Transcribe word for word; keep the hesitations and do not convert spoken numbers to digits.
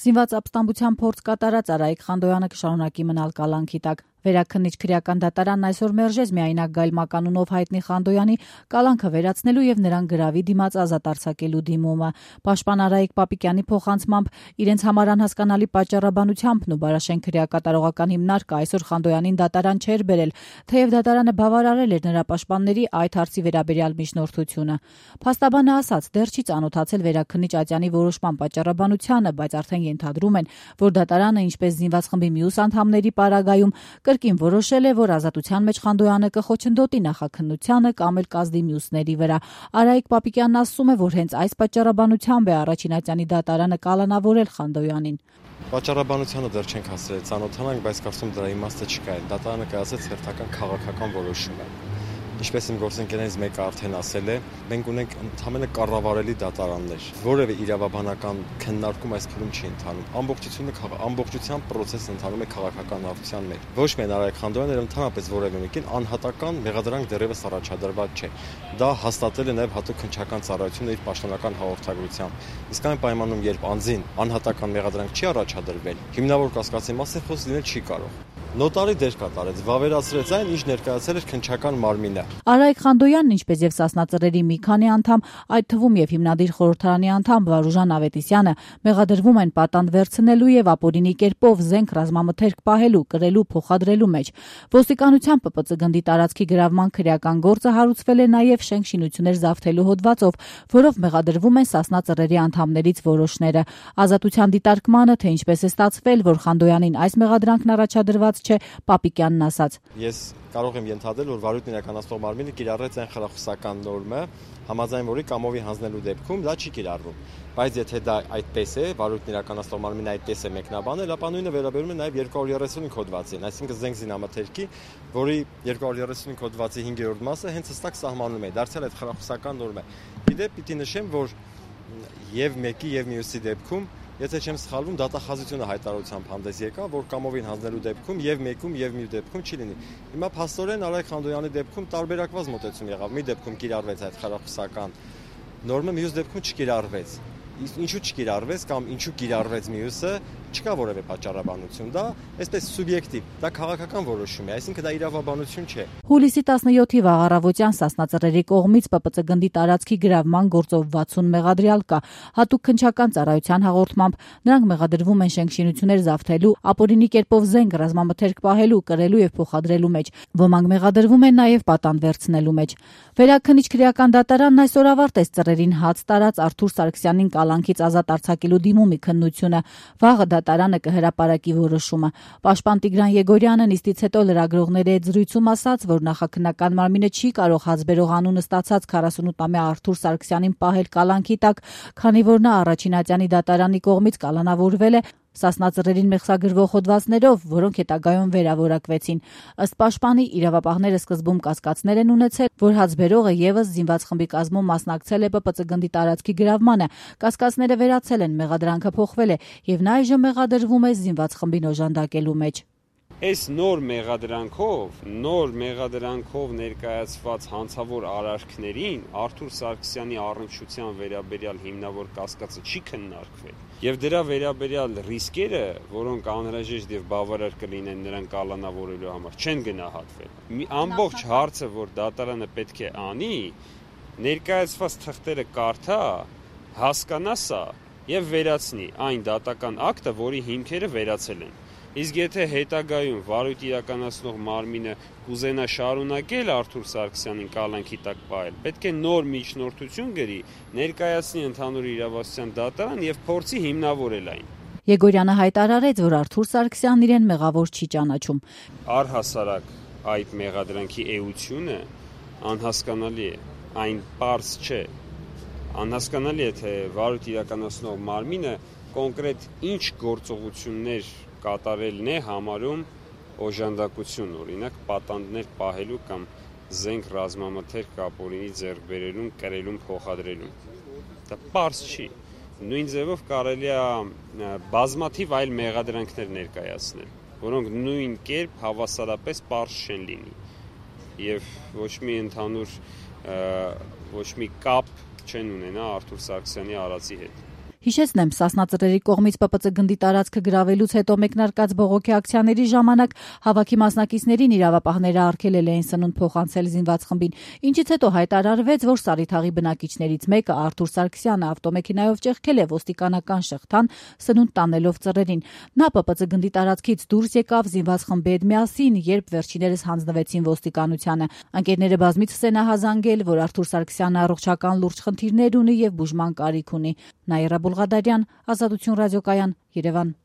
Զինված ապստամբության փորձ կատարած Արայիկ Խանդոյանը կշարունակի մնալ կալանքի տակ։ Վերաքննիչ քրեական դատարանն այսօր մերժեց միայնակ Գայլ մականունով հայտնի Խանդոյանի կալանքը վերացնելու եւ նրան գրավի դիմաց ազատ արձակելու դիմումը։ Պաշտպան Արայիկ Պապիկյանի փոխանցմամբ իրենց համար անհասկանալի պատճառաբանությամբ ու Բարաշեն քրեակատարողական հիմնարկը այսօր Խանդոյանին դատարան չէր բերել, թեև դատարանը բավարարել էր նրա պաշտպանների այդ հարցի վերաբերյալ միջնորդությունը։ Փաստաբանը ասաց, դեռ չի ծանոթացել վերաքննիչ Ատյանի որոշման պատճառաբանությանը, բայց արդեն ենթադրում են, որ դատարանը, ինչպես զինված խմբի մյուս անդամների պարագայում, կրկին որոշել է, որ ազատության մեջ Խանդոյանը կխոչընդոտի նախաքննությանը կամ էլ կազդի մյուսների վրա։ Արայիկ Պապիկյանն ասում է, որ հենց այս պատճառաբանությամբ է առաջին Ատյանի դատարանը կալանավորել Խանդոյանին։ Պատճառաբանությանը դեռ չենք հասել ծանոթանանք, բայց կարծում դրա իմաստը չկա։ Դատարանը կայացրեց հերթական քաղաքական որոշում։ Ինչպես իմ գործընկերներից մեկը արդեն ասել է, մենք ունենք ընդհանրապես կառավարելի դատարաններ, որևէ իրավաբանական քննարկում այս փուլում չի ընթանում։ Ամբողջությունը ամբողջությամբ process-ը ընթանում է քաղաքական հարթության մեջ։ Ոչ միայն Արայիկ Խանդոյանը, այլ ընդհանրապես որևէ մեկին անհատական մեղադրանք դեռևս առաջադրված չէ։ Դա հաստատել է նաև հատուկ քննչական ծառայությունը իր պաշտոնական հաղորդագրությամբ։ Իսկ այն պայմանում, երբ անձին անհատական մեղադրանք չի առաջադրվել, հիմնավոր կասկածի մասին խոսք լինել չի կարող։ Նոտարի դեր կատարեց, վավերացրեց այն, ինչ ներկայացել էր քննչական մարմինը։ Արայիկ Խանդոյանն, ինչպես եւ Սասնա-Ծռերի մի քանի անդամ, այդ թվում եւ հիմնադիր խորհրդարանի անդամ Վարուժան Ավետիսյանը մեղադրվում են պատանդ վերցնելու եւ ապօրինի կերպով զենք ռազմամթերք պահելու, կրելու, փոխադրելու մեջ։ Ոստիկանության Պ Պ Ծ գնդի տարածքի գրավման քրեական գործը հարուցվել է նաեւ շենք-շինություններ զավթելու հոդվածով, որով մեղադրվում են Սասնա-Ծռերի անդամներից որոշները։ Ազատության դիտարկմանը, թե ինչպես է ստացվել, որ Խանդոյանին այս մեղադրանքն առաջադրված չէ, Պապիկյանն ասաց. Ես կարող եմ ենթադրել, որ վարույթն իրականացնող մարմինը կիրառեց այն խրախուսական նորմը, համաձայն որի կամովի հանձնելու դեպքում դա չի կիրառվում։ Բայց եթե դա այդպես է, վարույթն իրականացնող մարմինը այդպես է մեկնաբանել, ապա նույնը վերաբերում է նաև երկու հարյուր երեսունհինգ հոդվածին, այսինքն զենք զինամթերքի, որի երկու հարյուր երեսունհինգ հոդվածի հինգերորդ մասը հենց հստակ սահմանում է, դարձյալ այդ խրախուսական նորմը։ Իդեպ պիտի նշեմ, որ եւ մեկի եւ մյուսի դեպքում, եթե չեմ սխալվում, դատախազությունը հայտարարությամբ հանդես եկավ, որ կամովին հանձնելու դեպքում եւ մեկում եւ մյուս դեպքում չի լինի։ Հիմա փաստորեն Արայիկ Խանդոյանի դեպքում տարբերակված մոտեցում եղավ։ Մի դեպքում կիրառվեց այդ խրախուսական նորմը, մյուս դեպքում չկիրառվեց։ Ինչու չկիրառվեց կամ ինչու կիրառվեց մյուսը, չկա որևէ պատճառաբանություն, դա այսպես սուբյեկտիվ, դա քաղաքական որոշում է, այսինքն դա իրավաբանություն չէ։ Հուլիսի տասնյոթի վաղ առավոտյան Սասնա-Ծռերի կողմից Պ Պ Ծ գնդի տարածքի գրավման գործով վաթսուն մեղադրյալ կա։ Հատուկ քննչական ծառայության հաղորդմամբ նրանք մեղադրվում են շենք-շինություններ զավթելու, ապօրինի կերպով զենք ռազմամթերք պահելու, կրելու եւ փոխադրելու մեջ։ Ոմանք մեղադրվում են նաեւ պատանդ վերցնելու մեջ։ Վերաքննիչ քրեական դատարանն այսօր ավարտեց Ծռերին հաց տարած Արթուր Սարգսյանին կալանքից ազատ արձակելու դիմումի քննությունը։ Վաղը դատարանը կհրապարակի որոշումը։ Պաշտպան Տիգրան Եգորյանը նիստից հետո լրագրողների հետ զրույցում ասաց, որ նախաքննական մարմինը չի կարող հազբերող անունը ստացած քառասունութամյա Արթուր Սարգսյանին պահել կալանքի տակ, քանի որ նա առաջին Ատյանի դատարանի կողմից կալանավորվել է Սասնա-Ծռերին մեղսագրվող հոդվածներով, որոնք հետագայում վերավորակվեցին։ Ըստ պաշտպանի, իրավապահները սկզբում կասկածներ են ունեցել, որ հացբերողը եւս զինված խմբի կազմում մասնակցել է Պ Պ Ծ գնդի տարածքի գրավմանը։ Կասկածները վերացել են, մեղադրանքը փոխվել է եւ նա այժմ մեղադրվում է զինված խմբին օժանդակելու մեջ։ Այս նոր մեղադրանքով, նոր մեղադրանքով ներկայացված հանցավոր արարքներին Արթուր Սարգսյանի առնչության վերաբերյալ հիմնավոր կասկածը չի քննարկվել։ Եվ դրա վերաբերյալ ռիսկերը, որոնք անհրաժեշտ եւ բավարար կլինեն նրան կալանավորելու համար, չեն գնահատվել։ Մի ամբողջ հարցը, որ դատարանը պետք է անի, ներկայացված թղթերը կարդա, հասկանա սա եւ վերացնի այն դատական ակտը, որի հիմքերը վերացել են։ Իսկ եթե հետագայում վարույթ իրականացնող մարմինը կուզենա շարունակել Արթուր Սարգսյանին կալանքի տակ պահել, պետք է նոր միջնորդություն գրի, ներկայացնի ընդհանուր իրավասության դատարան եւ փորձի հիմնավորել այն։ Եգորյանը հայտարարեց, որ Արթուր Սարգսյանն իրեն մեղավոր չի ճանաչում։ Առհասարակ այդ մեղադրանքի էությունը անհասկանալի է, այն պարզ չէ։ Անհասկանալի է, թե վարույթ իրականացնող մարմինը կոնկրետ ինչ գործողություններ կատարելն է համարում օժանդակություն, օրինակ պատանդներ պահելու կամ զենք ռազմամթերք ապօրինի ձեռք բերելուն, կրելուն, փոխադրելուն։ Դա պարզ չի։ Նույն ձևով կարելի է բազմաթիվ այլ մեղադրանքներ ներկայացնել, որոնք նույն կերպ հավասարապես պարզ չեն լինի եւ ոչ մի ընդհանուր ոչ մի կապ չեն ունենա Արթուր Սարգսյանի արածի հետ։ Հիշեցնեմ, Սասնա Ծռերի կողմից Պ Պ Ծ գնդի տարածքը գրավելուց հետո մեկնարկած բողոքի ակցիաների ժամանակ հավաքի մասնակիցներին իրավապահները արգելել էին սնունդ փոխանցել զինված խմբին, ինչից հետո հայտարարվեց, որ Սարիթաղի բնակիչներից մեկը Արթուր Սարգսյանը ավտոմեքենայով ճեղքել է ոստիկանական շղթան սնունդ տանելով ծռերին։ Նա Պ Պ Ծ գնդի տարածքից դուրս եկավ զինված խմբի հետ միասին, երբ վերջիներս հանձնվեցին ոստիկանությանը։ Ընկերները բազմիցս են ահազանգել, որ Արթուր Սարգսյանը առողջական լուրջ խնդիրներ ունի եւ բուժման կարիք ունի։ Նաիրա Բուլղադարյան, Ազատություն ռադիոկայան, Երևան։